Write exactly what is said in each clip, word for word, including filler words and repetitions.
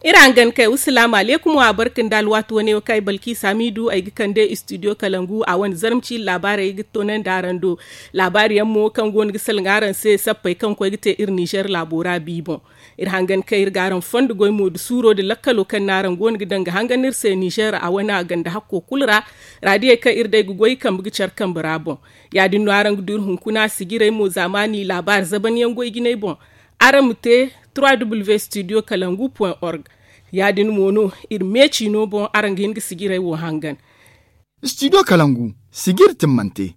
Iri hangan kay wa salaamu aleekum wa barka nda alwaati wane wo kaŋ ay balki saamiidu ay ga kande istidiyo kalangu a wane zarma ciiri laabaarey ga toonandi araŋ do. Laabaari yaŋ mo kaŋ go no ga salaŋ araŋ se sappey kaŋ koy ga te iri nizer laabo ra bi boŋ. Iri hangan kay iri ga araŋ fondo goy mo nda suuro nda lakkalo kaŋ no araŋ go no ga daŋ ga hangan iri se nizer a wane a ganda hakko kulu ra. Raadiyey kaŋ iri day ga goy kambe ga care kambe ra boŋ. Ya- din no araŋ ga du iri hunkuna sijirey mo zaamaani laabaari zaban yaŋ goy jinay boŋ. Araŋ ma te trois w studio kalangu point org. Ya- din mo no iri me ciino boŋ araŋ ga hin ga sijirey wo hangan. Studio kalangu sijiri timmante.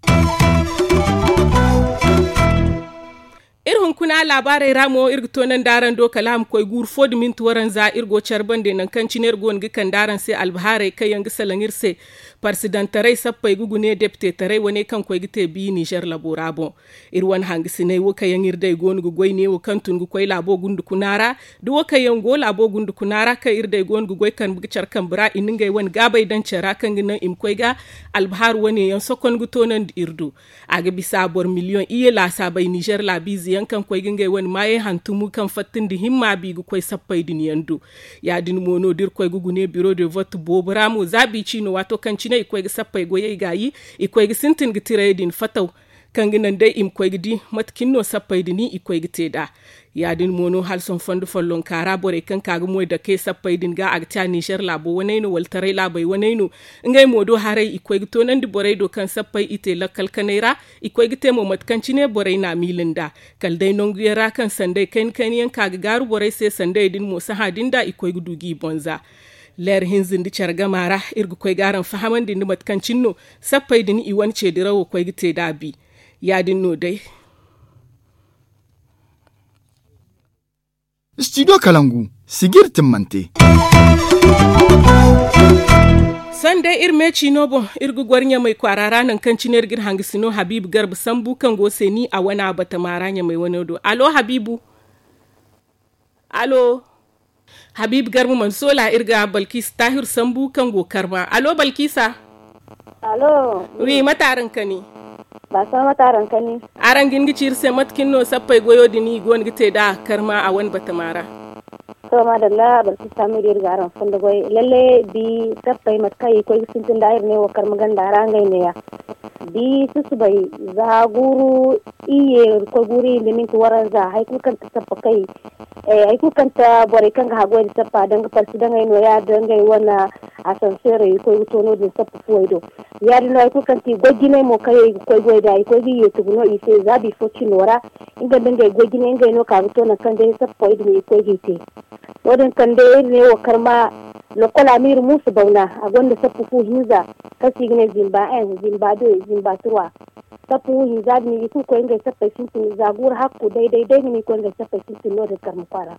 Iri hunkuna laabaarey ra mo iri ga toonandi araŋ do kala a ma koy guuru fo nda minti waranza iri go care bande nangu kaŋ cine iri go no ga kande araŋ se albahaarey kaŋ yaŋ ga salaŋ iri se. Parsidantaray sappey ga gune depitetaray wane kaŋ koy ga te bi nizer labo ra boŋ. Iri wane hangasiney wo kaŋ yaŋ iri day go no ga goy neewo kaŋ tun ga koy laabo gundukuna ra, da wo kaŋ yaŋ go laabo gundukuna ra kaŋ iri day go no ga goy kambe ga care kambe ra i na ngey wane gaabey daŋ care ra kaŋ ga naŋ i ma koy ga albahaaru wane yaŋ sokon ga toonandi iri do. A ga bisa boro miliyoŋ iyye laasaabey nizer laabiize yaŋ kaŋ koy ga ngey wane maayey hantumu kaŋ fatta nda himma bi ga koy sappey din yaŋ do. Ya- din mo no da iri koy ga gune biro de vote boobo ra mo za bi ciino waato kaŋ cine i koy ga sappey goyey gaayi, i koy ga sintin ga tirayey din fataw. Kaŋ ga naŋ day i ma koy ga di mate cine no sappey din i koy ga te nd'a. Ya- din mo no hala sohõ fondo follonka ra borey kaŋ ka ga moy dake sappey din ga a ga te a nizer laabo waney no wala taray laabey waney no. Ngey mo do haray i koy ga toonandi borey do kaŋ sappey i te lakkal kanay ra. I koy ga te mo mate kaŋ cine borey n'a miila nd'a. Kala day nangu yaŋ ra kaŋ sanday kayna kayna yaŋ ka ga gaaru borey se sanday din mo sahã din da i koy ga du g'i boŋ za. Leer hinza nda care gama ra iri ga koy ga araŋ fahamandi nda mate kaŋ cine no sappey din i wane ce dirawo koy ga te nd'a bi. Ya- din no day. Studio kalangu sijiri timmante. Sohõ day iri me ciino boŋ iri ga goro ɲamay kwaara ra nangu kaŋ cine iri ga iri hangasino habiibu garba sambu kaŋ go seeni a wane a batama ra ɲamay wane do allo habiibu. Allo. Habiibu garba mana soola iri ga balkiisa taahiru sambu kaŋ go karma allo balkiisa. Allo. Wi mate araŋ kani? Baasama mate araŋ kani? Araŋ ga hin ga ci iri se mate kaŋ no sappey goyo din i go no ga te nd'a karma a wane batama ra. To maadalla balkiisa taahiru iri ga araŋ fondo goy lalle bi sappey mate kaŋ i koy ga sintin nd'a iri ne wo karma ganda ra ngey neeya. Bi susubay za guuru iyye koy guuru iyye nda minti waranza hari kulu kaŋ ti sappa kay. Hari kulu kaŋ ti borey kaŋ ga haggoy nda sappa danga parsi dangey nooya da ngey wane asanseerey i koy ga to no- din sappa fuwey do. Ya- din no hari kulu kaŋ ti goy jinay mo kaŋ yaŋ i ga koy goy nd'a i koy ga iyye tugu no i se za bifo cino ra. Nga nda ngey goy jinay ngey no ka ga to nangu kaŋ day sappa fuwey din i koy g'i te. No- din kaŋ day iri ne wo karma lokola ma iri muusu bawna a gonda sappa fu hinza kaŋ se i ga ne zimba en zimba de zimba turwa. Sappa fu hinza din i kulu koy ngey sappey sintin za guuru hakku day day day ga no i koy ngey sappey sintin no- din karma kwaara.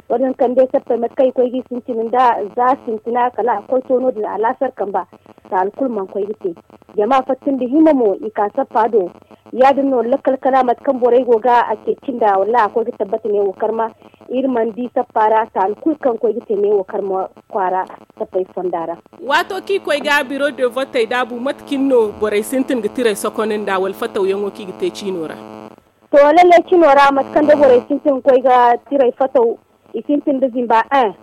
Wo- din kaŋ day sappey mate kaŋ i koy g'i sintin nda za sintina kala a koy to no- din a laasar kamba. Taali kulu mana koy ga te jama fatta nda hima mo i ka sappa do. Ya- din no lakkal kala mate kaŋ borey go ga a ceeci nd'a wallaahi a koy ga tabbata ne wo karma. Iri mana di sappa ra taali kulu kaŋ koy ga te ne wo karma kwaara. Sappey fonda ra. Waato kaŋ i koy ga biro de votey daabu mate cine no borey sintin ga tirey sokonda nda wala fatawyaŋo kaŋ i ga te ciino ra? To lalle cino ra mate kaŋ day borey sintin ga koy ga tirey fataw i sintin nda zimba en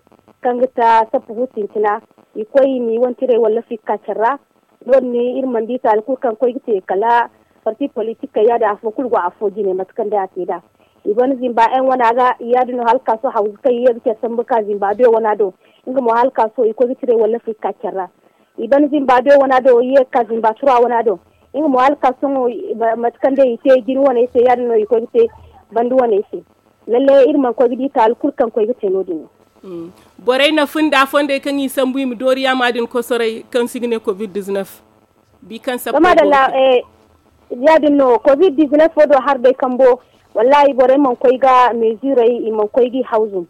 kaŋ ga ta sappa fu sintina. I koy i ma i wane tirey wallafey ga ka care ra. No- din iri mana di taali kulu kaŋ koy ga te kala parti politikey ya- din afo kulu go afo jine mate kaŋ day a te nd'a. I ban zimba en wana ga ya- din no hala ka sohõ hawzu kaŋ i ye ga care sambu ga ka zimba do wana do. Nga mo hala ka sohõ i koy ga tirey wallafey ga ka care ra. I ban zimba do wana do i ye ga ka zimba tura wana do. Nga mo hala ka sohõ mate kaŋ day i te jine waney se ya- din no i koy ga te banda waney se. Lalle iri mana koy ga di taali kulu kaŋ koy ga te no- din. Borey na fun da fondey kaŋ i sambu i ma doori yaama din kosoray kaŋ se i ga ne covid diznef. Bi kaŋ sabbay go ga te. Ya- din no covid diznef wo do hari day kambo. Wallaahi borey mana koy ga mezirey i mana koy g'i hawzu.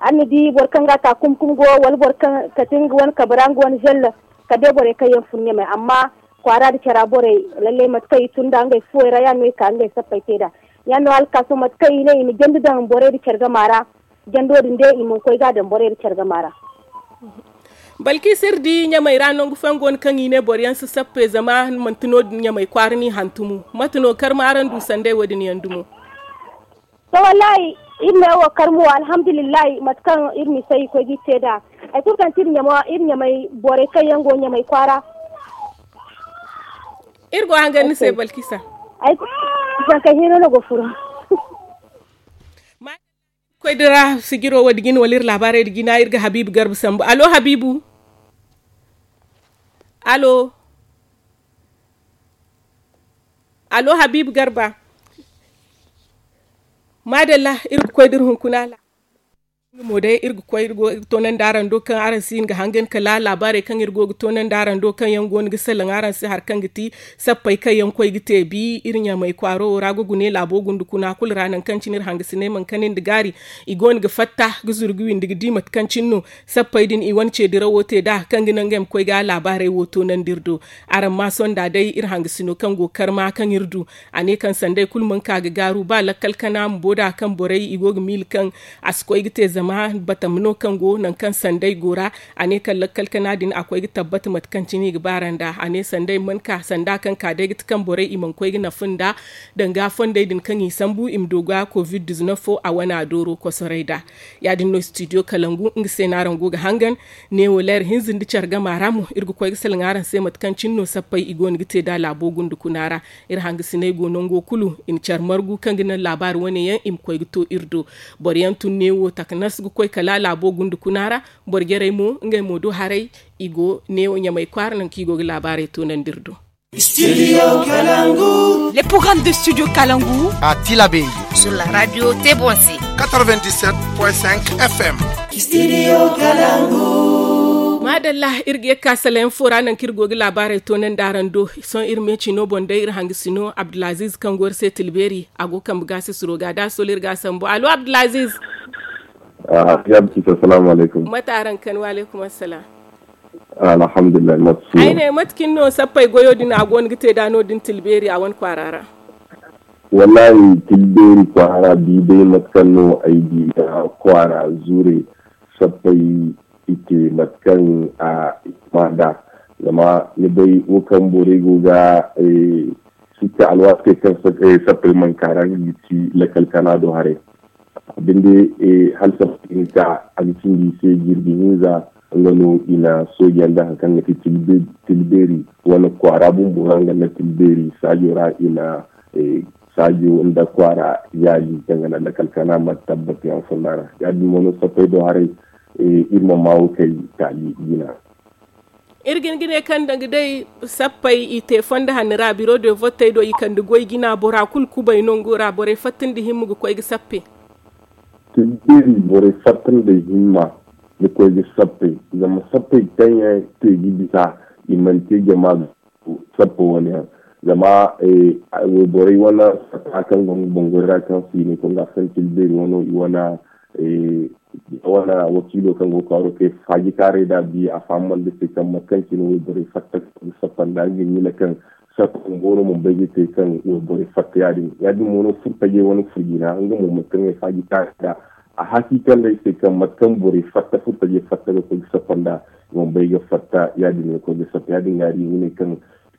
Araŋ na di boro kaŋ ga a ta kum kum go wala boro kaŋ kate nga wane kabe ra nga wane zelle. Kala day borey kaŋ yaŋ fun ɲamey amma kwaara nda cara borey lalle mate kaŋ i tun nd'a ngey fuwey ra ya- din no i ka ngey sappey te nd'a. Ya- din no hala ka sohõ mate kaŋ i ne i ma jandi daŋ borey nda care gama ra. Jando din day i mana koy ga a daŋ borey nda care gama ra. Balkis, iri di ɲamey ra nangu fooyaŋ go no kaŋ i ne boro yaŋ si sappe zama manti no- din ɲamey kwaara n'i hantumo. Mate no karma araŋ du sanday wo- din yaŋ dumo? To, wallahi, iri ne wo karma wo, alhamdulillahi, mate kaŋ iri misa i koy ga i te nd'a. Hari kulu kaŋ ti iri ɲamey borey kaŋ yaŋ go ɲamey kwaara. Iri go hangan ni se, balkisa. Ay, zankey hino no go furo. Koy dira sijiro wo- din jina wala iri laabaarey din jina iri ga habiibu garba sambu. Allo habiibu? Allo? Allo habiibu garba? Maadalla, iri ga koy dira hunkuna laabaaray. Nga mo day iri ga koy iri go ga toonandi araŋ do kaŋ araŋ si hin ga hangan kala laabaarey kaŋ iri go ga toonandi araŋ do kaŋ yaŋ go no ga salaŋ araŋ se hari kaŋ ga ti sappey kaŋ yaŋ koy ga te bi iri ɲamey kwaaro wo ra ga gune laabo gunda kuna kulu ra nangu kaŋ cine iri hangasiney mana kani nda gaari. I go no ga fatta ga zuru ga windi ga di mate kaŋ cine no sappey din i wane ceedirawo te nd'a kaŋ ga naŋ ngey ma koy ga laabaarey wo toonandi iri do. Araŋ ma sonda day iri hangasino kaŋ go karma kaŋ iri du. A ne kaŋ sanday kulu mana ka ga gaaru ba lakkal kana ma bo nd'a kaŋ borey i go ga miila kaŋ a si koy ga te zama batama no kaŋ go nangu kaŋ sanday go ra. A ne kaŋ lakkal kana din a koy ga tabbata mate kaŋ cine i ga baara nd'a. A ne sanday mana ka sanda kaŋ ka day ga ti kaŋ borey i mana koy ga nafa nd'a danga fondey din kaŋ i sambu i ma du ga covid diznef fo a wana dooro kosoray nd'a. Ya- din no studio kalangu nga se no araŋ go ga hangan. Neewo leer hinza nda care gama ra mo iri ga koy ga salaŋ araŋ se mate kaŋ cine no sappey i go no ga te nd'a laabo gunda kuna ra. Iri hangasiney go nango kulu i na care margu kaŋ ga naŋ laabaari wane yaŋ i ma koy ga to iri do. Boro yaŋ tun neewo takanas ga koy kala laabo gunda kuna ra. Boro jarey mo ngey mo do haray i go neewo ɲamey kwaara nangu kaŋ i go ga laabaarey toonandi iri do. Studio kalangu. Les programmes de studio kalangu à tilaberi sur la radio tebonse quatre-vingt-dix-sept point cinq f m. Studio kalangu. Maadalla, iri ga ye ga ka salayaŋ fo ra nangu kaŋ iri go ga laabaarey toonandi araŋ do. Sohõ iri meecino boŋ day iri hangasino abdulaziz kaŋ go iri se tilbeeri a go kambe ga sisiro ga da solo iri ga a sambu allo abdulaziz. Mate araŋ kan wa aleykum assalaam. Alhamdulillahi. Ay ne mate kaŋ no sappey goyo din a go no ga te da no din tilbeeri a wane kwaara ra? Wallahi tilbeeri kwaara di day mate kaŋ no ay di ga kwaara zure sappey i te mate kaŋ a i ma da. Zama ni bay wo kaŋ borey go ga sikka alwaati kaŋ sappey mana kaara nga ga ci lakal kana do haray. Binde hala sappey hinka a ga cindi i se jirbi hinza. Nga no i na sooja nda hari kaŋ ga ti tilbeeri wane kwaara bumbo ra nga nda tilbeeri saajo ra i na saajo nda kwaara yaali kaŋ ga naŋ lakkal kana ma tabbati yaŋ fonda ra. Ya- din mo no sappey do haray iri ma ma wo kay taali jina. Iri ga hin ga ne kaŋ danga day sappey i te fondo hanno ra biro de vottey do i kande goy jina bora kulu kubay nango ra borey fatta nda himma ga koy ga sappe. Tilbeeri borey fatta nda himma ga koy ga sappe. Zama sappey kaŋ yaŋ te ga bisa i mana te jama ga sappa wane yaŋ. Zama wayborey wane satta kaŋ go nga bangori ra kaŋ se i ne konda santil beeri wano i wane wane wakiilo kaŋ go ga kwaaro te faaji kaaray da biya a fahamandi se kaŋ mate kaŋ cine wayborey fatta ga sappa nda nga miila kaŋ sappa bumbo no mana bay ga te kaŋ wayborey fatta ya- din ya- din mo no furtajey wane furjina nga mo mate kaŋ ay faaji kaaray da a haki kaŋ day se kaŋ mate kaŋ borey fatta furtajey fatta ga koy ga sappa nda i mana bay ga fatta ya- din ga koy ga sappa ya- din ga iri ga ne kaŋ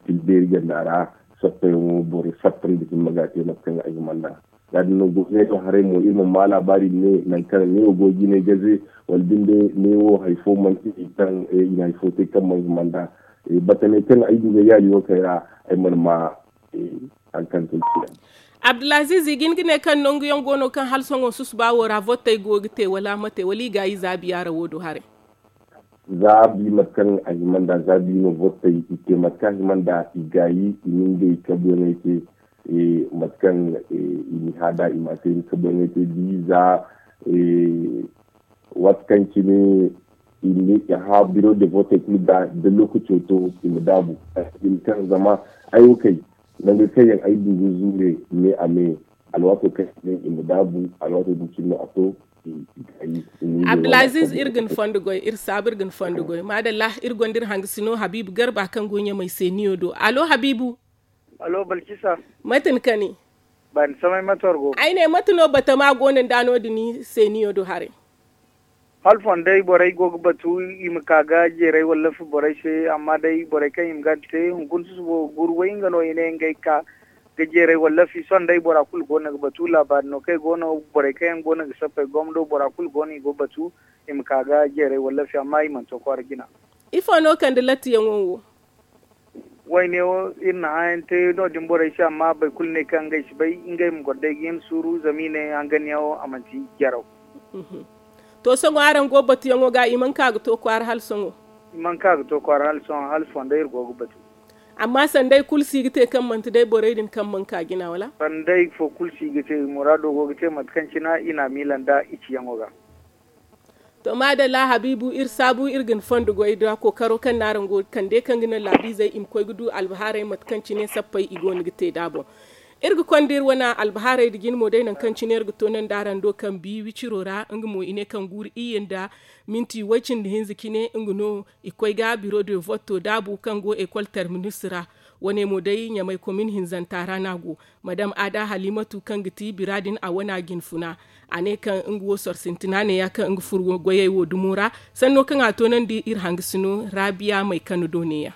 tilbeeri ganda ra sappa yaŋo borey fatta nda himma ga te mate kaŋ a hima nda. Ya- din no goy ne do haray mo iri mana ma laabaari ne nangu kaŋ ne wo go ga jinay gaze wala binde ne wo hari fo manti kaŋ i na hari fo te kaŋ mana hima nda. Batamey kaŋ ay du ga yaali wo kay ra ay mana ma hari kaŋ tun. Abdulaziz i ga hin ga ne kaŋ nangu yaŋ go no kaŋ hala sohõ susuba wo ra vottey go ga te wala mate wala i gaayi za biya ra wo do haray? Za bi mate kaŋ a hima nda za bi no vottey i te mate kaŋ a hima nda i gaayi i na ngey kabuyaŋey te. Mate kaŋ i na hã da i ma te ni kabuyaŋey te bi za waati kaŋ cine i ma ne i hã biro de vote kulu ga da lokaco to i ma daabu. Kaŋ zama ay wo kay nangu kaŋ yaŋ ay du ga zuure me a me alwaato kaŋ cine i ma daabu alwaato din cine no a to. Abdulaziz iri ga ni fondo goy iri saabu iri ga ni fondo goy madalla. Iri gonda iri hangasino habiibu garba kaŋ go ɲamay se niyo do allo habiibu. Allo balkisa. Mate ni kani? Bani samay mate war go ay ne mate no batama go no nda no- din se niyo do haray? Hala fondo day borey go ga batu i ma ka ga jeeray wallafi borey se, amma day borey kaŋ i ma ga te hunkuna susubo ga guuru way nga no i ne ngey ka ga jeeray wallafi sohõ day bora kulu go no ga batu laabaari no kaŋ i go no borey kaŋ yaŋ go no ga sappey gomdo bora kulu go no i go batu i ma ka ga jeeray wallafi amma i mana to kwaara jina. Ifo no kande lattiyaŋo wo? Wayne wo iri na hããyaŋ te no- din borey se amma boro kulu ne kaŋ ngey si bay ngey ma goro day ga hin suuru zama i ne hanganyaŋo a manti jaraw. To sohõ araŋ go batuyaŋo ga i mana ka ga to kwaara hala sohõ? I mana ka ga to kwaara hala sohõ hala fondo iri go ga batu. Amma sanday kulu si ga te kaŋ manti day borey din kaŋ mana ka jina wala? Sanday fo kulu si ga te muraado go ga te mate kaŋ cina i na a miila nda i ciyaŋo ga. To maadalla habiibu iri saabu iri ga ni fondo goy da kookaro kaŋ no araŋ go ga kande kaŋ ga naŋ laabiizey i ma koy ga du albahaarey mate kaŋ cine sappey i go no ga te nd'a boŋ. Iri ga konda iri wane albahaarey nda jine mo day nangu kaŋ cine iri ga toonandi araŋ do kaŋ bi wiciro ra nga mo i ne kaŋ guuru iyye nda minti way-cindi hinza cine nga no i koy ga biro de voto daabu kaŋ go ekol terminus ra. Wane mo day ɲamay komin hinzanta ra no a go. Madam aada halimatu kaŋ ga ti bira din a wana jinfuna a ne kaŋ nga wo soro sintina neeya kaŋ nga furo goyey wo dumo ra. Sanno kaŋ a toonandi iri hangasino raabiya may kano do neeya.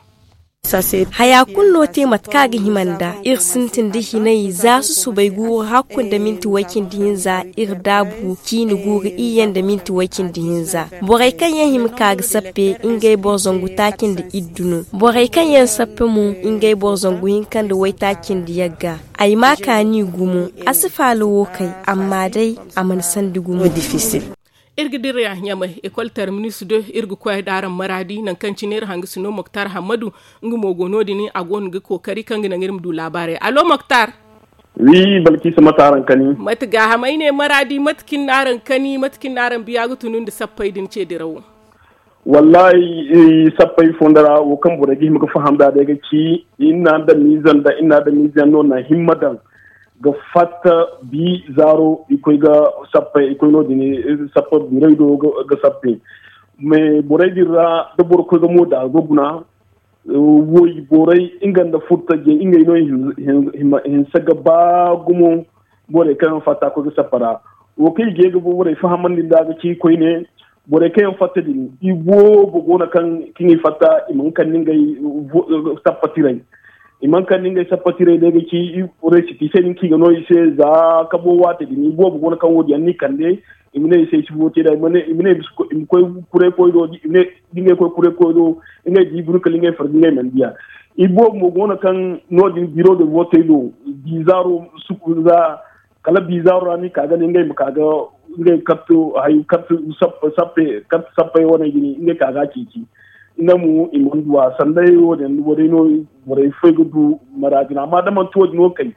Haya kulu no te mate kaŋ a ga hima nd'a iri sintin da hinay za susubay guuru hakku nda minti way-cindi hinza. Iri daabu ciini guuru iyye nda minti way-cindi hinza. Borey kaŋ yaŋ hima ka ga sappe ngey boro zangu taaci nda iddu no. Borey kaŋ yaŋ sappe mo ngey boro zangu hinka nda waytaaci nda yagga. Ay ma kaani gumo a si faala wo kay. Amma day a mana sandi gumo. Iri ga dira ɲamay ekol terminus do iri ga koy d'araŋ maraadi nangu kaŋ cine iri hangasino moktar hammadu. Nga mo go no- din a go no ga kookari kaŋ ga naŋ iri ma du laabaarey allo moktar. Wi balkiisa mate araŋ kani? Mate gaahamay ne maraadi mate kaŋ n'araŋ kani mate kaŋ n'araŋ biya ga tunu nda sappey din ce dirawo. Wallahi sappey fondo ra wo kaŋ borey ga hima ga faham nd'a day ga ci iri na daŋ miizaŋ nda iri na daŋ miizaŋ no na himma daŋ ga fatta bi zaaro i koy ga sappey i koy no- din sappa biray do ga sappe. Mais borey din ra da boro koy ga mo da ga guna woy borey nga nda furtajey ngey no i hinse ga ba gumo. Borey kaŋ yaŋ fatta koy ga sappa ra wo kaŋ i ga ye ga borey fahamandi nd'a ga ci koyne. Borey kaŋ yaŋ fatta din i boobo go no kaŋ i fatta i mana kande ngey sappa tiray. I mana kande ngey sappa tiray day ga ci resiti se din kaŋ i ga no i se za kabo waate din i boobo go no kaŋ wo- din yaŋ no i kande. I ma ne i se i si bo te nd'a i ma ne i ma koy kuray koy do da ngey koy kuray koy do ngey di buru kala ngey farga ngey mana diya. I boobo mo go no kaŋ no- din biro de vootey do bizaaro suku za kala bizaaro ra no i ka ga ne ngey ma ka ga ngey kartu hayo kartu sappe kartu sappey wane ga ne ngey ka ga a ceeci. Nga mo i mana du a sanday wo- din wo- day no borey fo ay ga du maraadi no amma da manti wo- din wo kay.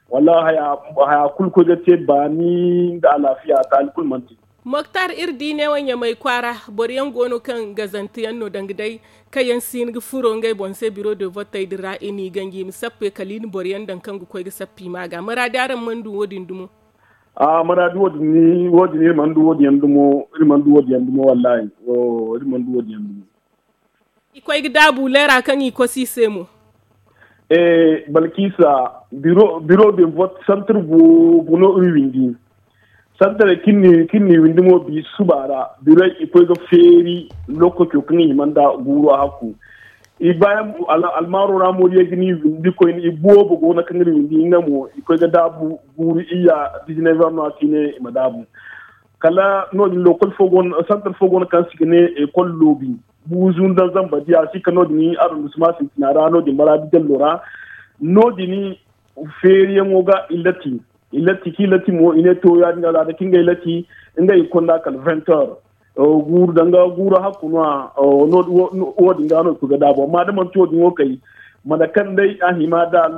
Wallaahi haya kulu koy ga te baani nda alaafiya taali kulu mana te. Moktar iri di neewo ɲamay kwaara boro yaŋ go no kaŋ gazante yaŋ no danga day kaŋ yaŋ si hin ga furo ngey boŋ se biro de vottey din ra i n'i ganji i ma sappe kala i na boro yaŋ daŋ kaŋ ga koy ga sappi ma ga maraadi araŋ mana du wo- din dumo? A maraadi wo- din iri mana du wo- din yaŋ dumo iri mana du wo- din yaŋ dumo wallaahi. Iri mana du wo- din yaŋ dumo. I koy ga daabu leera kaŋ i kosi i se mo. Balkiisa biro de vote santar boobo no iri windi. Santaray kaŋ ni windi mo bi suba ra birey i koy ga feeri lokaco kaŋ i hima nda guuru a hakku. I baayaŋ almaaro ra mo da ye ga ni windi koyne i boobo go no kaŋ iri windi nga mo i koy ga daabu guuru iyya dizinayver no a si ne i ma daabu. Kala no- din lokol fo go no santar fo go no kaŋ se i ga ne ekol loobi. Buuzu nda zamba diya si ka no- din arrondissement sintina ra no- din maraadi dello ra. No- din feeriyaŋo ga i lati i lati kaŋ i lati mo i ne to ya- din alaada kaŋ ngey lati ngey i konda kala vingt heures. Guuru danga guuru hakku no- ya wo- din ga no i koy ga daabu amma da manti wo- din wo kay mate kaŋ day a hima da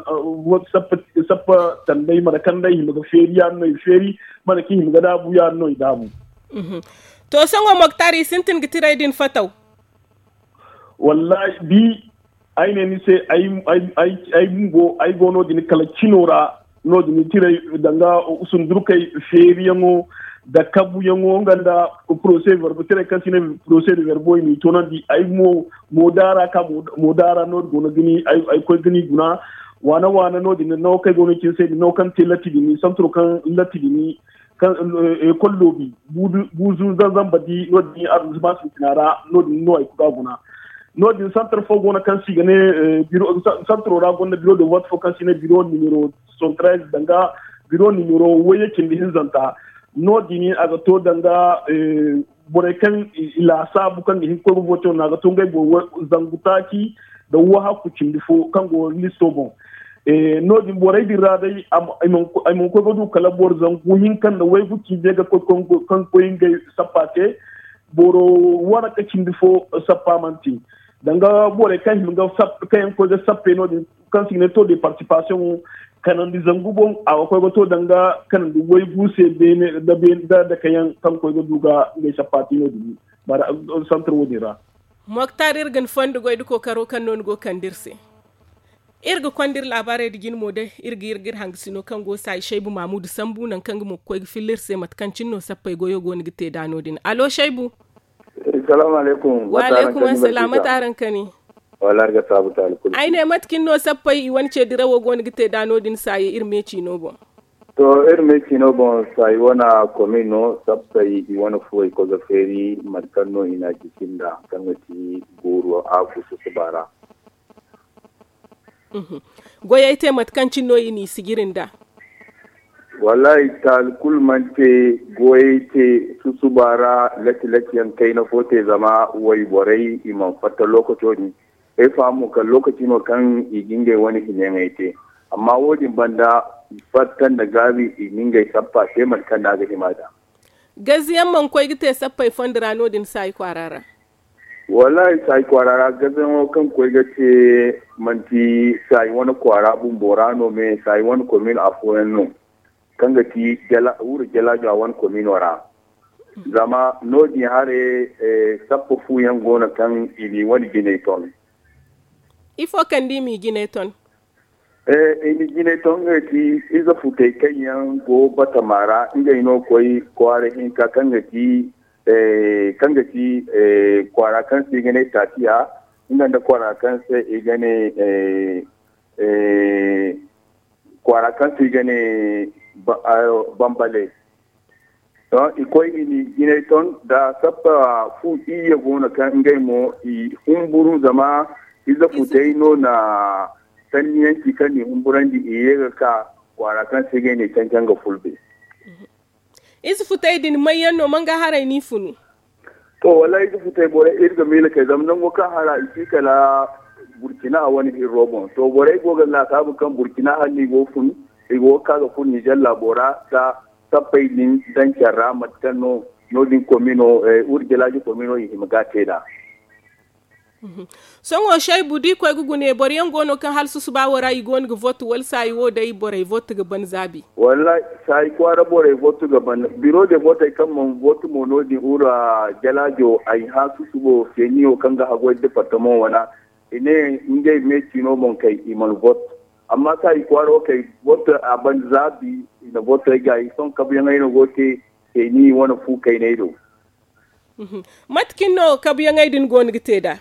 sappa tanday mate kaŋ day hima ga feeri ya- din no i feeri. Mate kaŋ i hima ga daabu ya- din no i daabu. To sohõ moktar i sintin ga tiray din fataw. Wallahi bi ay ne ni se ay bumbo ay go no- din kala cino ra. No- din tiray danga sundurkey feeriyaŋo nda kabuyaŋo nga nda procès verbo tiray kaŋ se i ne procès de verbo i n'i toonandi ay mo. Mo daara ka mo daara no- din go no ga ni ay koy ga ni guna. Waana waana no- din nango kaŋ ay go no cine se din nango kaŋ te latti din santuro kaŋ latti din. Ekol loobi buuzu zanzamba di no- din arrondissement sintina ra. No- din no hari kulu a guna. No- din santar fo go no kaŋ se i ga ne santaro ra gonda biro de vote fo kaŋ se i ne biro nimero soixante-treize danga biro nimero wayye cindi hinzanta. No- din a ga to danga borey kaŋ i laasaabu kaŋ ga hin ga koy ga vote no a ga to ngey boro zangu taaci nda wahakku cindi fo kaŋ go listo boŋ. No- din borey din ra day ay mana koy ga du kala boro zangu hinka nda waygu ciize ga koy kaŋ ga koy ngey sappa te. Boro wane ka cindi fo sappa mana te danga borey kaŋ hima ga sappa kaŋ yaŋ ga koy ga sappey no- din kaŋ se i ga ne taux de participation kanandi zangu boŋ a ga koy ga to danga kanandi waygu se beene nda dakayaŋ kaŋ ga koy ga du ga ngey sappa te no- din. Santar wo- din ra. Moktar, iri ga ni fondo goy nda kookaro kaŋ no ni go ga kande iri se. Iri ga konda iri laabaarey nda jine mo day iri ga iri ga iri hangasino kaŋ go saayi shaybu maamudu sambu nangu kaŋ nga mo ga koy ga filla iri se mate kaŋ cine no sappey goyo go no ga te nd'a no- din allo shaybu? Salaamu alaykum. Wa alaykum assalam mate araŋ kani? Wala araŋ ga saabu taali kulu. Ay ne mate cine no sappey i wane ce dirawo go no ga te nd'a no- din saayi iri me ciino boŋ? To, iri me ciino boŋ saayi wane komin no sappey i wane fuwey koy ga feeri mate kaŋ no i na a jisi nd'a kaŋ ga ti guuru a gusu suba ra. Goyey te mate kaŋ cine no i n'i sijiri nd'a? Wallaahi taali kulu mana te. Goyey te susuba ra lati lati yaŋ kayna fo te zama wayborey i mana fatta lookaco din. Ay faham mo kala lookaci no kaŋ i ga ngey wane hinayaŋey te. Amma wo- din banda fatta nda gaabi i ga ngey sappa te mate kaŋ no a ga hima nd'a. Gaziyaŋ mana koy ga te sappey fondo ra no- din saayi kwaara ra? Wallaahi saayi kwaara ra gazayaŋo kaŋ koy ga te manti saayi wane kwaara bumbo ra no me saayi wane komin afooyaŋ no kaŋ ga ti wuro jalaajo a wane komino ra. Zama no- din haray sappa fu yaŋ go no kaŋ i n'i wane jinay ton. Ifo kaŋ da i m'i jinay ton? I na jinay to ngey ti ize futey kaŋ yaŋ go batama ra ngey no koy kwaara hinka kaŋ ga ti kaŋ ga ti kwaara kaŋ se i ga ne taatiya nga nda kwaara kaŋ se i ga ne kwaara kaŋ se i ga ne bambale. To i koy i ni jinay ton da sappa fu iyye go no kaŋ ngey mo i humburu zama ize futey no na sanniyanci kaŋ ni humburandi i ye ga ka kwaara kaŋ se ngey ne cancan ga fulbe. Ize futey din mayyaŋ no man ga haray ni funu? To wallaahi ize futey borey iri ga miila kay zama nango kaŋ hara i si kala burkina a wane hirro boŋ to borey go ga laasaabu kaŋ burkina hala ni go fun i go ga ka ga fun nizer laabo ra da sappey din daŋ care ra mate kaŋ no no- din komino wurjalaaji komino i hima ga te nd'a. Sohõ shaybu da i koy ga gune boro yaŋ go no kaŋ hala susuba wo ra i go no ga vote wala saayi wo day borey vote ga ban zaabi? Wallaahi saayi kwaara borey vote ga ban biro de votey kaŋ mana vote mo no- din wura jalaajo ay hã susubo feeniyo kaŋ ga hagoy departement wana i ne ngey me ciino boŋ kay i mana vote. Amma saayi kwaaro kay vote a ban zaabi i na votey gaayi sohõ kabuyaŋey no go te feeni wane fu kayney do. Mate cine no kabuyaŋey din go no ga te nd'a?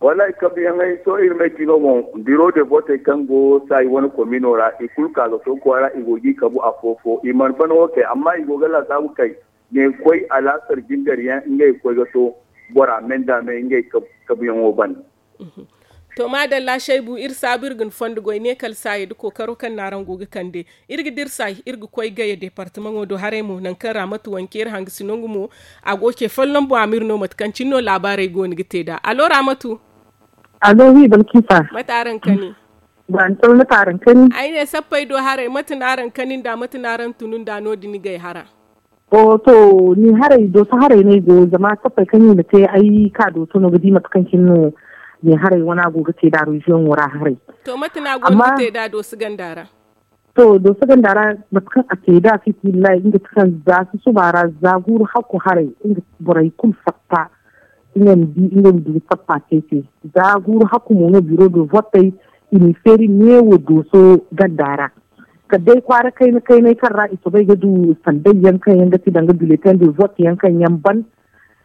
Wallaahi kabuyaŋey sohõ iri me ciino boŋ biro de votey kaŋ go saayi wane komino ra i kulu ka ga to kwaara i go ga i kabu afo-fo i mana ban wo kay amma i go ga laasaabu kay ne koy alaasar jingar yaŋ ngey ga koy ga to bora me nda me ngey kabuyaŋo ban. To maadalla shaybu iri saabu iri ga ni fondo goy ne kala saayi nda kookaro kaŋ no araŋ go ga kande. Iri ga dira saayi iri ga koy gaya departemaŋo do haray mo nangu kaŋ raamatu wanke iri hangasino nga mo a go ce folloŋ boŋ a ma iri no mate kaŋ cine no laabaarey go no ga te nd'a allo raamatu? Allo wi balkisa. Mate araŋ kani? Ba ni taw mate araŋ kani? Ay ne sappey do haray mate no araŋ kani nd'a mate no araŋ tunu nd'a no- din gay hara? O to ni haray dooso haray no ay go zama sappey kaŋ i na te ay ka dooso no ga di mate kaŋ cine no ni haray wana go ga te nd'a reziyoŋo ra haray. To mate no a go ga te nd'a dooso ganda ra? To dooso ganda ra mate kaŋ a te nd'a fisibillahi nga ti kaŋ za susuba ra za guuru hakku haray nga borey kulu fatta. Nga ma di nga ma du ga sappa te te za guuru hakku mo no biro do vottey i n'i feeri neewo dooso ganda ra. Kala day kwaara kayna kaynay kaŋ ra i soobay ga du sanday yaŋ kaŋ yaŋ ga ti danga biletin de vote yaŋ kaŋ yaŋ ban.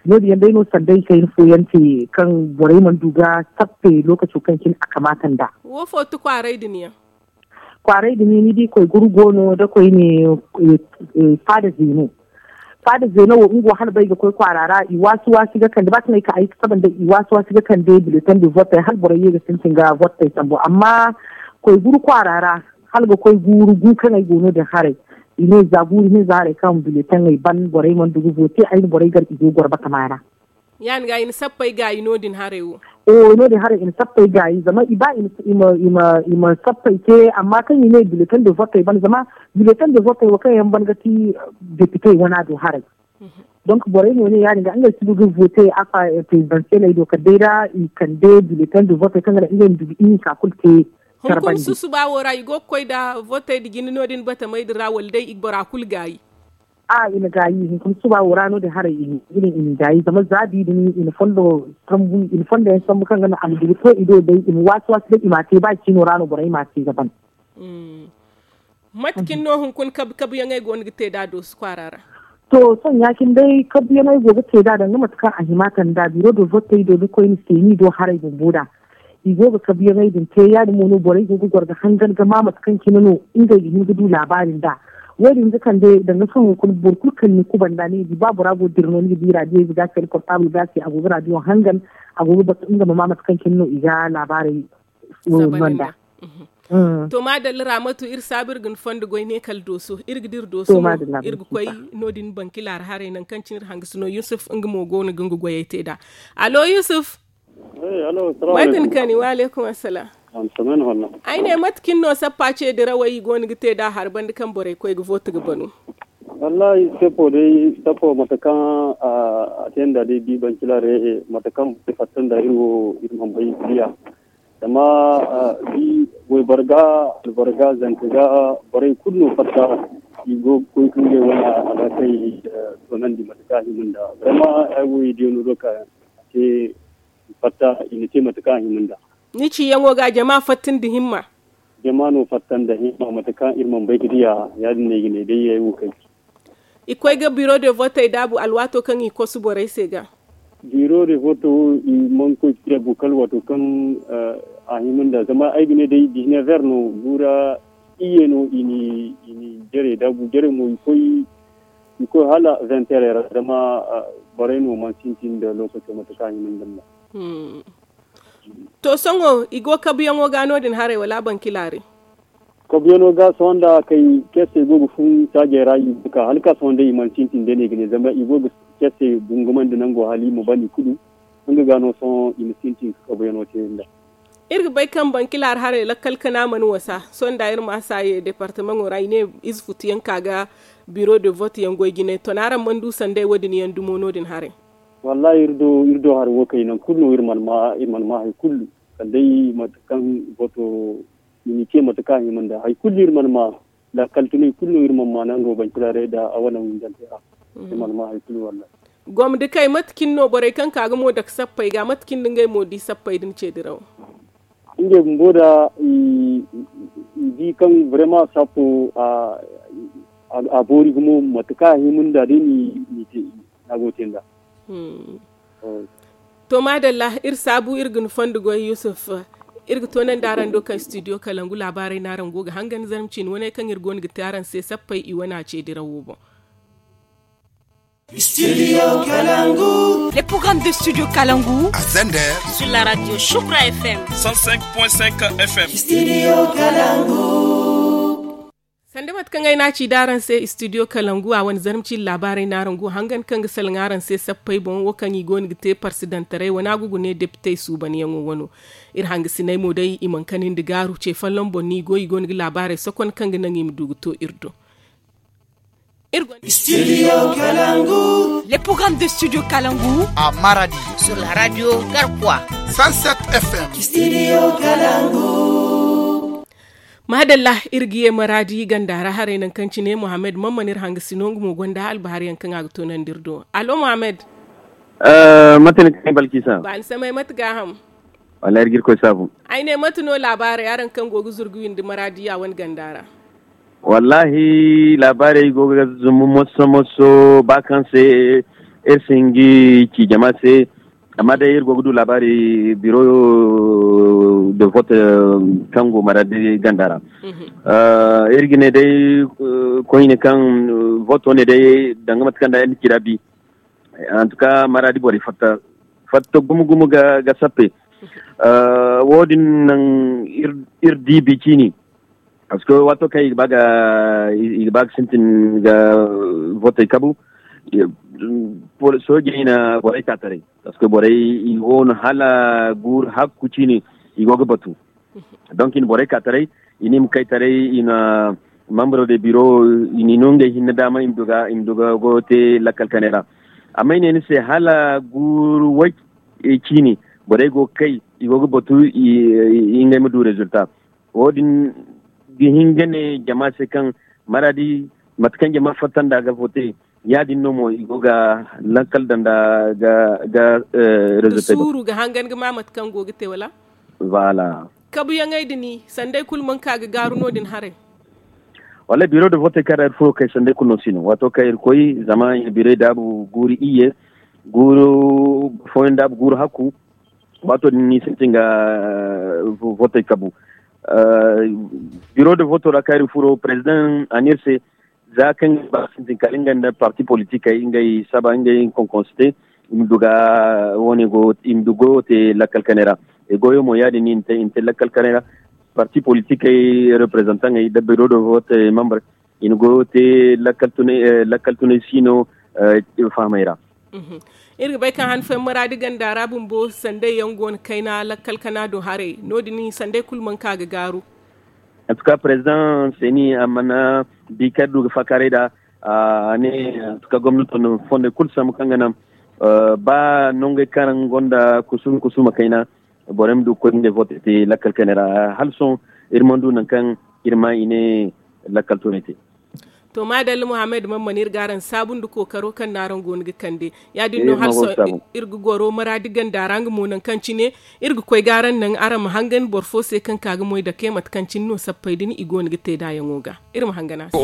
No- din yaŋ day no sanday kayna fooyaŋ te kaŋ borey mana du ga sappe lookaco kaŋ cine a kamaata nd'a. Wo fo ti kwaaray din yaŋ? Kwaaray din ni di koy guru go no da koy ne faada zeeno. Faada zeeno wo nga wo hala bay ga koy kwaara ra i waasi waasi ga kande ba kaŋ ay ka ay ga saba nda i waasi waasi ga kande biletan de vottey hala borey ye ga sintin ga vottey sambu amma koy guru kwaara ra hala ga koy guuru gu kaŋ ay go no din haray. I ne za guuru hinza haray kaŋ biletaŋey ban borey mana dugu vote ay na borey gar i go goro batama ra. Ya- din ga i na sappey gaayi no- din haray wo. Oo no- din haray i na sappey gaayi zama i ba i ma sappey te amma kaŋ i ne biletan de vottey ban zama biletan de vottey wo kaŋ yaŋ ban ga ti depitey wana do haray. Donc borey mo ne ya- din ga ngey si du ga vote afa prezidansiyeley do kala day ra i kande biletan de vottey kaŋ ga naŋ ngey ma du ga ihinka kulu te. Hunkuna susuba wo ra i go ga koy nda votey nda jina no- din batamey din ra wala day i ga bora kulu gaayi? A i na gaayi hunkuna susuba wo ra no- din haray i na gaayi zama za da i din i na fondo yaŋ sambu kaŋ ga naŋ a ma du ga to i do day i ma waasi waasi day i m'a te ba ciino ra no borey m'a te ga ban. Mate cine no hunkuna kabu kabuyaŋey go no ga te nd'a dooso kwaara ra? To sohõ ya- cine day kabuyaŋey go ga te nd'a danga mate kaŋ a hima kand'a biro de votey do da koy ni seeni do haray bumbo nd'a. I go ga kabuyaŋey din te ya- din mo no borey go ga goro ga hangan ga ma mate kaŋ cine no ngey ga hin ga du laabaari nd'a. Wo- din ga kande danga sohõ hunkuna boro kulu kaŋ ni kuba nd'a ni ga di ba bora go dira no ni ga di raadiyo ize ga se ni portaabul ga se a go ga raadiyo hangan a go ga batu nga ma ma mate kaŋ cine no i ga laabaarey no nd'a. To maadalla raamatu iri saabu iri ga ni fondo goy ne kala dooso iri ga dira dooso mo iri ga koy no- din bankilaari haray nangu kaŋ cine iri hangasino yusuf nga mo go no ga nga goyey te nd'a. Allo yusuf. Way ga ni kani wa aleykum assalam. Ay ne mate cine no sappa ce dirawey i go no ga te nd'a hari banda kaŋ borey koy ga vooti ga banu? Wallahi sappo day sappo mate kaŋ a te nd'a day bi bankilaari mate kaŋ borey fatta nd'a iri wo iri mana bay ga diya. Zama bi wayboro ga alboro ga zanka ga borey kulu no fatta i go ga koy ga ngey wane alhakey toonandi mate kaŋ a hima nd'a zama ay wo i diya no do ka te i fatta i na te mate kaŋ a hima nd'a. Ni ciyaŋo ga jama fatta nda himma. Jama no fatta nda himma mate kaŋ iri mana bay ga diya ya- din no ay ga ne day ay wo kaŋ ci. I koy ga biro de votey daabu alwaato kaŋ i kosu borey se ga. Biro de voto wo i mana koy ga diya go kala waato kaŋ a hima nda zama ay ga ne day dix-neuf heures no guura iyye no i na i na jare daabu jare mo i koy i koy hala vingt heures ra zama borey no mana sintin nda lookaco mate kaŋ a hima nda nd'a. To sohõ i go kabuyaŋo ga no- din haray wala a bankilaari? Kabuyaŋo ga sohõ nda kay ceesey go ga fun saajey ra i ga ka hala ka sohõ day i mana sintin day no i ga ne zama i go ga ceesey gungumandi nango hala i ma ban i kulu. Nga ga no sohõ i ma sintin ka kabuyaŋo te nd'a. Iri ga bay kaŋ bankilaari haray lakkal kana mana wasa sohõ nda iri ma a saaye departamaŋo ra i ne ize futu yaŋ ka ga biro de vote yaŋ goy jinay ton araŋ mana du sanday wo- din yaŋ dumo no- din haray? Wallahi iri do iri do hari wo kay nangu kulu no iri mana ma iri mana ma hari kulu kala day mate kaŋ voto i na ce mate kaŋ a hima nda hari kulu iri mana ma lakkal tunay kulu no iri mana ma nango bankilaarey nda a wane windante ra iri mana ma hari kulu wallahi. Gomdi kay mate cine no borey kaŋ ka ga mo dake sappey ga mate cine nda ngey mo di sappey din ce diraw? Ngey bumbo da i di kaŋ vraiment sappo a boori gumo mate kaŋ a hima nda day ni te i na go te nda. To maadalla iri saabu iri ga ni fondo goy yusuf. Iri ga toonandi araŋ do kaŋ studio kalangu laabaarey no araŋ go ga hangan zarma ciine wane kaŋ iri go no ga te araŋ se sappey i wane a ce dirawo boŋ. Studio Kalangu. Les programmes de Studio Kalangu. À Zender. Sur la radio Shukra F M. Cent cinq point cinq F M. Studio Kalangu. Sanda mate kaŋ ay n'a ci d'araŋ se studio Kalangu a wane zarma ciine laabaarey no araŋ go hangan kaŋ ga salaŋ araŋ se sappey boŋ wo kaŋ i go no ga te parsidantaray wane a go ga ne depitey suubanyaŋo wano. Iri hangasiney mo day i mana kanandi gaaru ce folloŋ boŋ no i go i go no ga laabaarey sokon kaŋ ga naŋ i ma du ga to iri do. Studio Kalangu. Les programmes de Studio Kalangu. À Maradi. Sur la radio Garkwa. Cent sept F M. Studio Kalangu. Maadalla iri ga ye Maradi ganda ra haray nangu kaŋ cine Mohammed Mamman iri hangasino nga mo gonda albahariyaŋ kaŋ a ga toonandi iri do. Allo Mohammed. Mate ni kaŋ balkisa ba ni samay mate gaaham. Wallahi iri ga irkoy saabu. Ay ne mate no laabaarey araŋ kaŋ go ga zurgu windi maradiya wane ganda ra? Wallahi laabaarey go ga zumbu moso moso ba kaŋ se iri si hin ga ci jama se. Amma day iri go ga du laabaari biro de vote kaŋ go maradi ganda ra. Iri ga ne day koyne kaŋ voto ne day danga mate kaŋ da iri na ci ra bi. Antuka maradi borey fatta fatta gumo gumo ga sappe. Wo- din naŋ iri di bi ciini. Parce que waato kaŋ i ga ba ga sintin ga votey kabu, soojey na borey ka taray. Parce que borey i go no hala guuru hakku ciine i go ga batu. Donc i na borey ka taray, i na i ma kay taray, i na membre de biro, i na i no ngey hinne daama i ma du ga go te lakkal kanay ra. Amma i ne ni se hala guuru way ciine borey go ga kay, i go ga batu ngey ma du résultat. Wo- din ga hin ga ne jama se kaŋ maradi mate kaŋ jama fatta nd'a ga vote, ya- din no mo i go ga lakkal daŋ nd'a ga résultat. Suuru ga hangan ga ma mate kaŋ go ga te wala? Voilà. Kabuyaŋey din sanday kulu mana ka ga gaaru no- din haray? Wallaahi biro de vote kaŋ ra iri furo kay sanday kulu no si no waato kaŋ iri koy zama i na birey daabu guuru iyye, guuru fooyaŋ daabu guuru hakku. Waato din ni sintin ga vote kabu. Biro de voto ra kaŋ iri furo president a ne iri se, za kaŋ ga ba sintin kala nga nda parti politikey ngey saba ngey konkonste, i ma du ga wo- ne go i ma du goyo te lakkal kanay ra. E goyo mo ya- din no i na te lakkal kanay ra. Parti politikey reprezantaŋey da biro de vote membre, i na goyo te lakkal tunay si no fahamey ra. Iri ga bay kaŋ han fooyaŋ maraadi ganda ra bumbo sanday yaŋ go no kayna lakkal kana do haray no- din sanday kulu mana ka ga gaaru. Antuka president seni a mana bi kaŋ iri du ga faakaaray nd'a. A ne antuka gomnato na fondey kulu sambu kaŋ ga naŋ ba nongey kaŋ ra nga gonda kusuma kusuma kayna, borey ma du ga koy ngey vote te lakkal kanay ra hala sohõ. Iri mana du nangu kaŋ iri ma i ne lakkal tunay te. To maadalla muhammad man mana iri ga araŋ saabu nda kookaro kaŋ no araŋ go no ga kande. Ya- din no hala sohõ iri ga goro maraadi ganda ra nga mo nangu kaŋ cine iri ga koy ga araŋ naŋ araŋ ma hangan boro fo se kaŋ ka ga moy dake mate kaŋ cine no sappey din i go no ga te nd'a yaŋo ga. Iri ma hangan a se.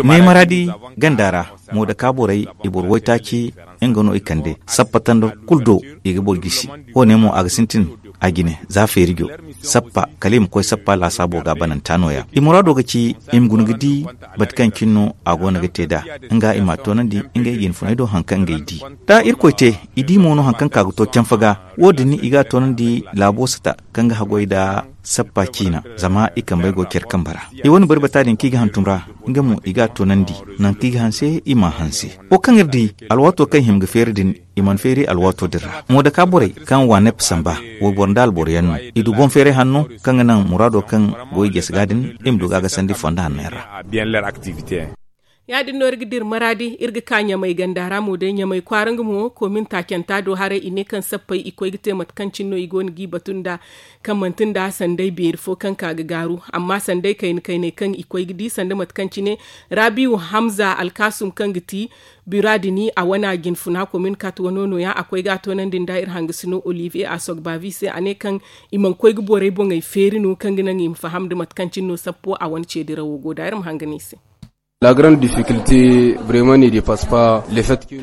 Ne maraadi ganda ra, mo dake borey i boro waytaaci nga no i kande sappa tanda kulu do. I ga boro gisi. Wo- ne mo a ga sintin a jine za feerijo sappa kala i ma koy sappa laasaabo ga bananta no- ya i muraado ga ci i ma guna ga di mate kaŋ cine no a go no ga te nd'a. Nga i m'a toonandi ngey jinfuney do hari kaŋ ngey di da irkoy te i di mo no hari kaŋ ka ga to canfa ga. Wo- din i ga a toonandi laabo sata kaŋ ga haggoy nda sappa ciina zama i kambey go care kambe ra. I wane bari bata din kaŋ i ga hantum ra nga mo i ga a toonandi nangu kaŋ i ga hanse i m'a hanse. Wo kaŋ iri di alwaato kaŋ i hima ga feeri din i mana feeri alwaato din ra mo dake borey kaŋ waanep samba wayboro nda alboro yaŋ no. I du boŋ feeray hanno kaŋ ga naŋ muraado kaŋ go i jase ga din i ma du ga a gasandi fondo hanno yaŋ ra. Ya- din no iri ga dira maraadi iri ga ka ɲamay ganda ra mo day ɲamay kwaara nga mo koomin taacanta do haray i ne kaŋ sappey i koy ga te mate kaŋ cine no i go no g'i batu nda kaŋ manti nda sanday beeri fo kaŋ ka ga gaaru. Amma sanday kayna kaynay kaŋ i koy ga di sanda mate kaŋ cine raabiiwu hamza alkaasum kaŋ ga ti bura din a wana jinfuna komin kat wano no- ya a koy ga a toonandi nda iri hangasino olivier a sogbavi se a ne kaŋ i mana koy ga borey boŋey feeri no kaŋ ga naŋ i ma faham nda mate kaŋ cine no sappo a wane ce dirawo go da iri ma hangan i se.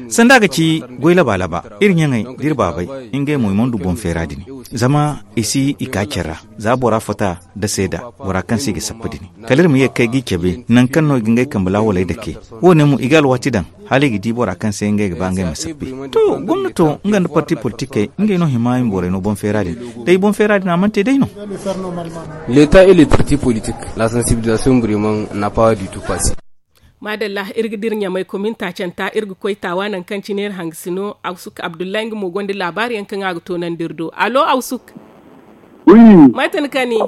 Sanda ga ci goy laba laba iri ɲaŋey da iri baabey ngey mo i mana du boŋ feera din zama i si i ka care ra. Za bora fata nda seeda bora kaŋ se i ga sappa din kala iri ma ye ga kay g'i cabe nangu kaŋ no i ga ngey kambe laawaley dake. Wo- ne mo i ga alwaati daŋ hala i ga di bora kaŋ se ngey ga ba ngey ma sappa. To gomnato nga nda parti politikey ngey no hima i ma borey no boŋ feera din. Day boŋ feera din a mana te day no. Leeta et les partis politiques la sensibilisation vraiment n'a pas du tout passe. Maadalla iri ga dira ɲamay komin taacanta iri ga koy taawa nangu kaŋ cine iri hangasino awsuk abdullahi nga mo gonda laabaari yaŋ kaŋ a ga toonandi iri do allo awsuk. Mate ni kani?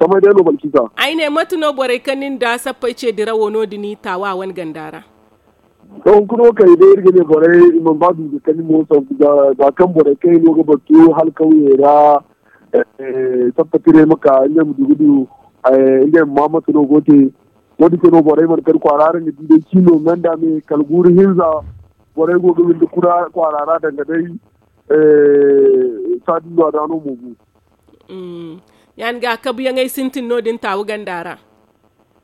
Samay day no balkisa. Ay ne mate no borey kaŋ nin da sappey ce dirawo no- din taawa wane ganda ra? To hunkuna wo kaŋ i day iri ga ne borey i mana ba du ga kani mo za kaŋ borey kaŋ i no ga batu hala kawyey ra. Sappa tiray ma ka ngey ma du ga du ngey ma ma mate no go te. Wo- din se no borey mana kani kwaara ra nga di day cino menda me kala guuru hinza. Borey go ga windi kura kwaara ra danga day. Saadi no a da no mo bu. Ya- din ga kabuyaŋey sintin no- din taawu ganda ra.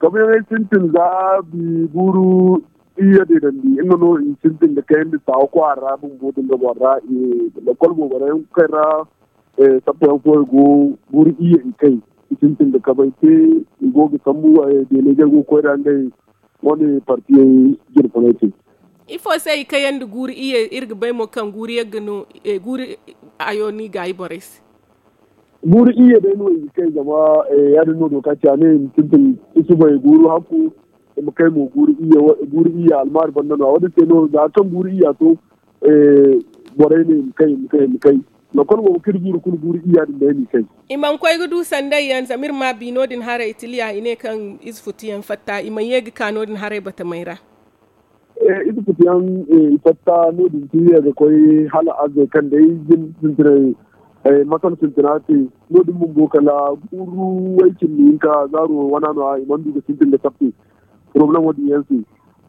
Kabuyaŋey sintin za bi guuru. Iyye deedandi nga no i sintin ga kayandi saawa kwaara ra bumbo din ga boro ra. Lakkol boobo ra yaŋ kaŋ ra sappa yaŋ fooyaŋ go guuru iyye i kay. I sintin ga kabay te i go ga sambu. Deeley ga go ga koy ra ngey wane partiyey jine funay te. Ifo se i kayandi guuru iyye? Iri ga bay mo kaŋ guuru yagga no guuru ayo no i gaayi borey se. Guuru iyye day no i ga kay zama ya- din no dooka ci a ne i ma sintin isubay guuru hakku. I ma kay mo guuru iyye almaari banda no a wo- din se no za kaŋ guuru iyya to. Borey ne i ma kay i ma kay i ma kay. Lakkol boobo kaŋ iri guuru kulu guuru iyya din day no i kay. I mana koy ga du sanday yaŋ zama iri ma bi no- din haray tiliya i ne kaŋ ize futu yaŋ fatta i mana ye ga ka no- din haray batamey ra. Ize futu yaŋ i fatta no- din tiliya ga koy hala arzey kaŋ day jin sintinay masal sintina se. No- din bumbo kala guuru way cindi hinka zaaro wana no- ya i mana du ga sintin ga sappe. Poroblem wo- din yaŋ se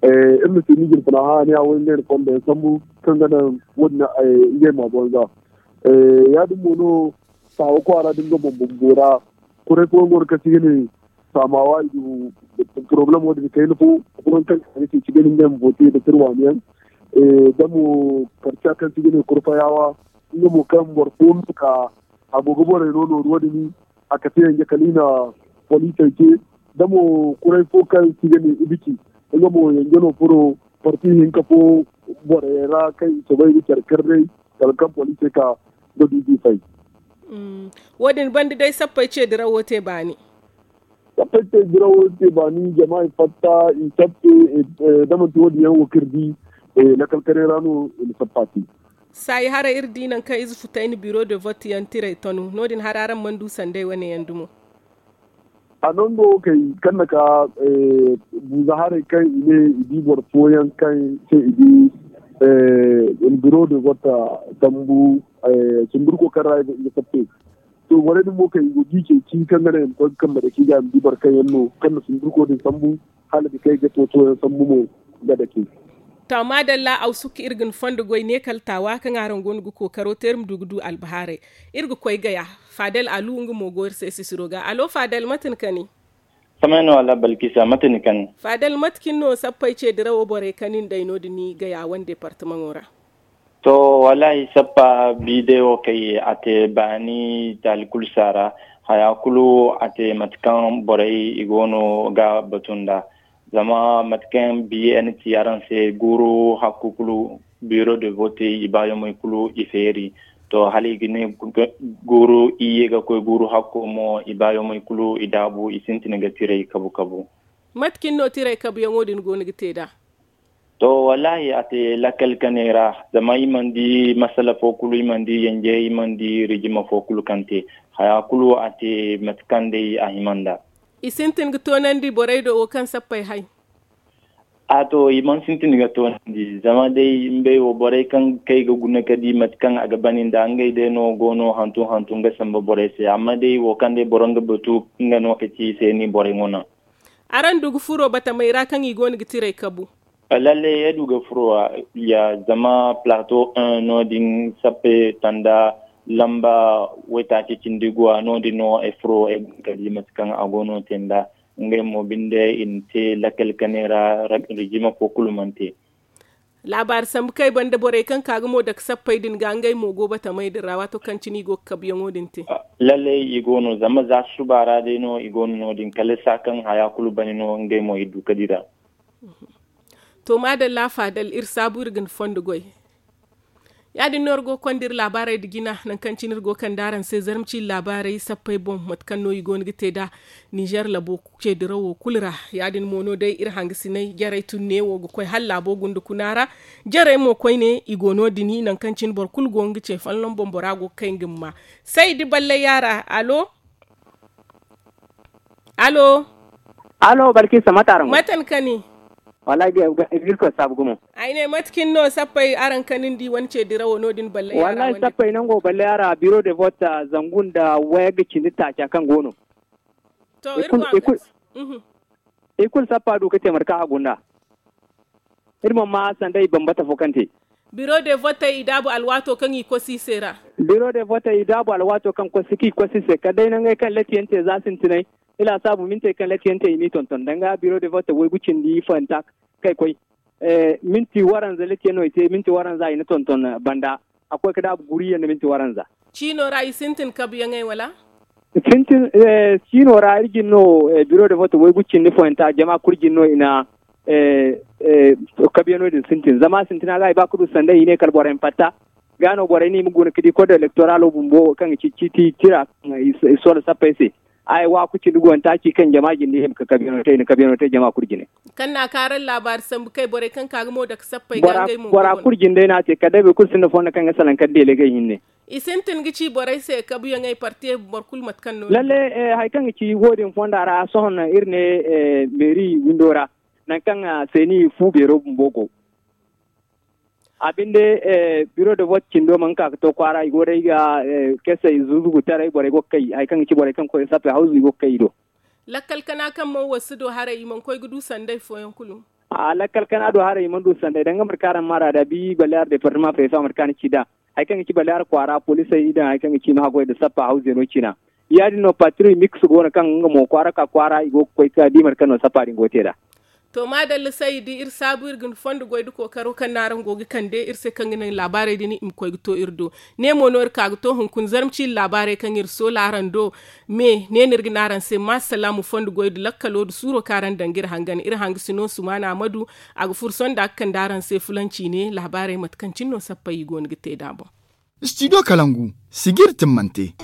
iri na se ni jine funa hã ne a wo ngey na fondo yaŋ sambu kaŋ ga naŋ wo- din ngey ma boŋ za. Ya- din mo no saawa kwaara din ga boŋ bumbo ra. Kuray fooyaŋ go no kaŋ se i ga ne saamawa i du poroblem wo- din kayna fo. Fooyaŋ kaŋ ga ne kaŋ se i ga ne ngey ma boote nda tirwaani yaŋ da mo karca kaŋ se i ga ne kurfayaawa. Nga mo kaŋ boro fo no ka a go ga borey no nooru wo- din a kate yanje kala i na poliisey ce. Da mo kuray fo kaŋ se i ga ne ibiki nga mo yanje no furo parti hinka fo borey ra kaŋ i soobay ga care kar day kala kaŋ poliisey ka ga du d'i fay. Wo- din banda day sappey ce dirawo te baani. Sappey te dirawo te baani jama i fatta i sappe. Da manti wo- din yaŋ wo kaŋ iri di lakkal kanay ra no i na sappa te. Saayi haray iri di nangu kaŋ ize futay na biro de vote yaŋ tiray tonu no- din hari araŋ mana du sanday wane yaŋ dumo. A nango kay kaŋ na ka buuza haray kaŋ i ne i di boro fooyaŋ kaŋ se i di biro de vote tambu sundurko kaŋ ra i ga sappe. To borey din mo kaŋ i go ga i ceeci kaŋ ga naŋ i ma koy ga kambe dake ga i ma di boro kaŋ yaŋ no kaŋ na sundurko din sambu hala ga kay ga tooto yaŋ sambu mo ga dake. To maadalla awsuk iri ga ni fondo goy ne kala taawa kaŋ araŋ go no ga kookaro te iri ma du ga du albahaaray. Iri ga koy gaya. Faadal alu nga mo go iri se sisiro ga alo faadal mate ni kani? Samay no wala balkisa mate ni kani? Faadal mate cine no sappey ce dirawo borey kani nda ay no- din gaya wane departamaŋo ra. To wallaahi sappa bidewo kay a te baani taali kulu saara. Haya kulu a te mate kaŋ borey i go no ga batu nda. Zama mate kaŋ biye ni ci araŋ se guuru hakku kulu biro de vote i baayomey kulu i feeri. To hala i ga ne guuru iyye ga koy guuru hakko mo i baayomey kulu i daabu i sintin ga tiray kabu kabu. Mate cine no tiray kabuyaŋo din go no ga te nd'a? To wallaahi a te lakkal kanay ra. Zama i mana di masala fo kulu i mana di yanje i mana di rijima fo kulu kaŋ te. Haya kulu a te mate kaŋ day a hima nd'a. I sintin ga toonandi borey do wo kaŋ sappey hay? A to i mana sintin ga toonandi zama day ngey wo borey kaŋ kay ga guna ga di mate kaŋ a ga bani nda ngey day no go no hantum hantum ga samba borey se amma day wo kaŋ day boro nga batu nga no ga ci i se ni borey ŋuna. Araŋ du ga furo batamey ra kaŋ i go no ga tiray kabu? Lalle ay du ga furo ya zama plateau un no- din sappe tanda lamba waytaaci cindi guwa no- din no ay furo ay guna ga di mate kaŋ a go no te nda. Ngey mo binde i na te lakkal kanay ra. Rijima fo kulu mana te. Laabaari sambu kaŋ ay banda borey kaŋ ka ga mo dake sappey din ga ngey mo go batamey din ra waato kaŋ cine i go ga kabuyaŋo din te. Lalle i go no zama za suba ra day no i go no no- din kala saa kaŋ haya kulu bane no ngey mo i du ga dira. To maadalla faadal iri saabu iri ga ni fondo goy. Ya- din no iri go ga konda iri laabaarey nda jina nangu kaŋ cine iri go ga kande araŋ se zarma ciine laabaarey sappey boŋ mate kaŋ no i go no ga te nd'a. Nizer labo ce dirawo kulu ra. Ya- din mo no day iri hangasiney jarey tun neewo ga koy hala laabo gunda kuna ra. Jarey mo koyne i go no- din nangu kaŋ cine boro kulu go nga ce folloŋ boŋ bora go ga kay nga ma ma. Say da ballay yaara alo? Alo? Alo balkisa mate araŋ go? Mate ni kani? Wallahi ga irkoy saabu gumo. Ay ne mate cine no sappey araŋ kanindi wane ce dirawo no- din ballay yaara? Wallahi sappey nango ballay yaara biro de vote zangu nda wayagga cindi taaca kaŋ go no. To iri kulu sappa du ga te mate kaŋ a gunda. Iri mana ma sanda i bambata fo kaŋ te. Biro de vote i daabu alwaato kaŋ i kosi i se ra. Biro de vote i daabu alwaato kaŋ kosi kaŋ i kosi i se kala day nangey kaŋ latiyaŋ te za sintinay. I laasaabu mintey kaŋ latiyaŋ te i n'i tonton danga biro de vote waygu cindi fahimta kay koy. Minti waranza latiyaŋ no i te minti waranza i na tonton banda. A koy ka daabu guriyaŋ nda minti waranza. Ciino ra i sintin kabuyaŋey wala? Sintin ciino ra iri jin no. Biro de vote waygu cindi foyanta jama kulu jin no i na kabuyaŋo din sintin zama sintina ga i ba ka du sanday i ne kala borey ma fatta. Ga no borey no i ma guna ka di kodo elektoralo bumbo kaŋ ga ci ciiti tira kaŋ i soola sappey se. Ay waaku cindi go nda taaci kaŋ jama jinde i ma ka kabiyaŋo te i na kabiyaŋo te jama kulu jine. Kaŋ na a kaaraŋ laabaari sambu kay borey kaŋ ka ga mo dake sappey ga ngey mo bora kulu jinde no a te kala day boro kulu sinda fondo kaŋ ga salaŋ kala deelegey hinne. I sintin ga ci borey se kabuyaŋey partiye boro kulu mate kaŋ no lalle. Hari kaŋ ga ci wo- din fonda ra sohõ iri ne meeri windo ra nangu kaŋ seeni fu beero bumbo go. A binde biro de vote cindo mana ka ga to kwaara i go day ga kesey zuzugutaray borey go ga kay hari kaŋ ga ci borey kaŋ ga koy ga sappey hawzu i go ga kay i do. Lakkal kana kaŋ mana wasu do haray i mana koy ga du sanday fooyaŋ kulu. Lakkal kana do haray i mana du sanday danga mate kaŋ araŋ ma ra da bi baleer departama prefe mate kaŋ a na ci nd'a. Hari kaŋ ga ci baleer kwaara poliisey i daŋ hari kaŋ ga ci i ma haggoy nda sappa hawzeno cina. Ya- din no patri miks go no kaŋ nga mo kwaara ka kwaara i go ga koy ga di mate kaŋ no sappa din go ga te nd'a. To maadalla saydi iri saabu iri ga ni fondo goy nda kookaro kaŋ no araŋ go ga kande iri se kaŋ ga naŋ laabaarey din i ma koy ga to iri do. Ne mo no iri ka ga to hunkuna zarma ciine laabaarey kaŋ iri soola araŋ do. Me ne no iri ga ne araŋ se ma salaamu fondo goy nda lakkalo nda suuro kaŋ araŋ daŋ ga iri hangan iri hanga si no sumaana amadu. A ga furo sohõ nda a ga kande araŋ se fulanci ne laabaarey mate kaŋ cine no sappey i go no ga te nd'a boŋ. Studio kalangu sijiri timmante.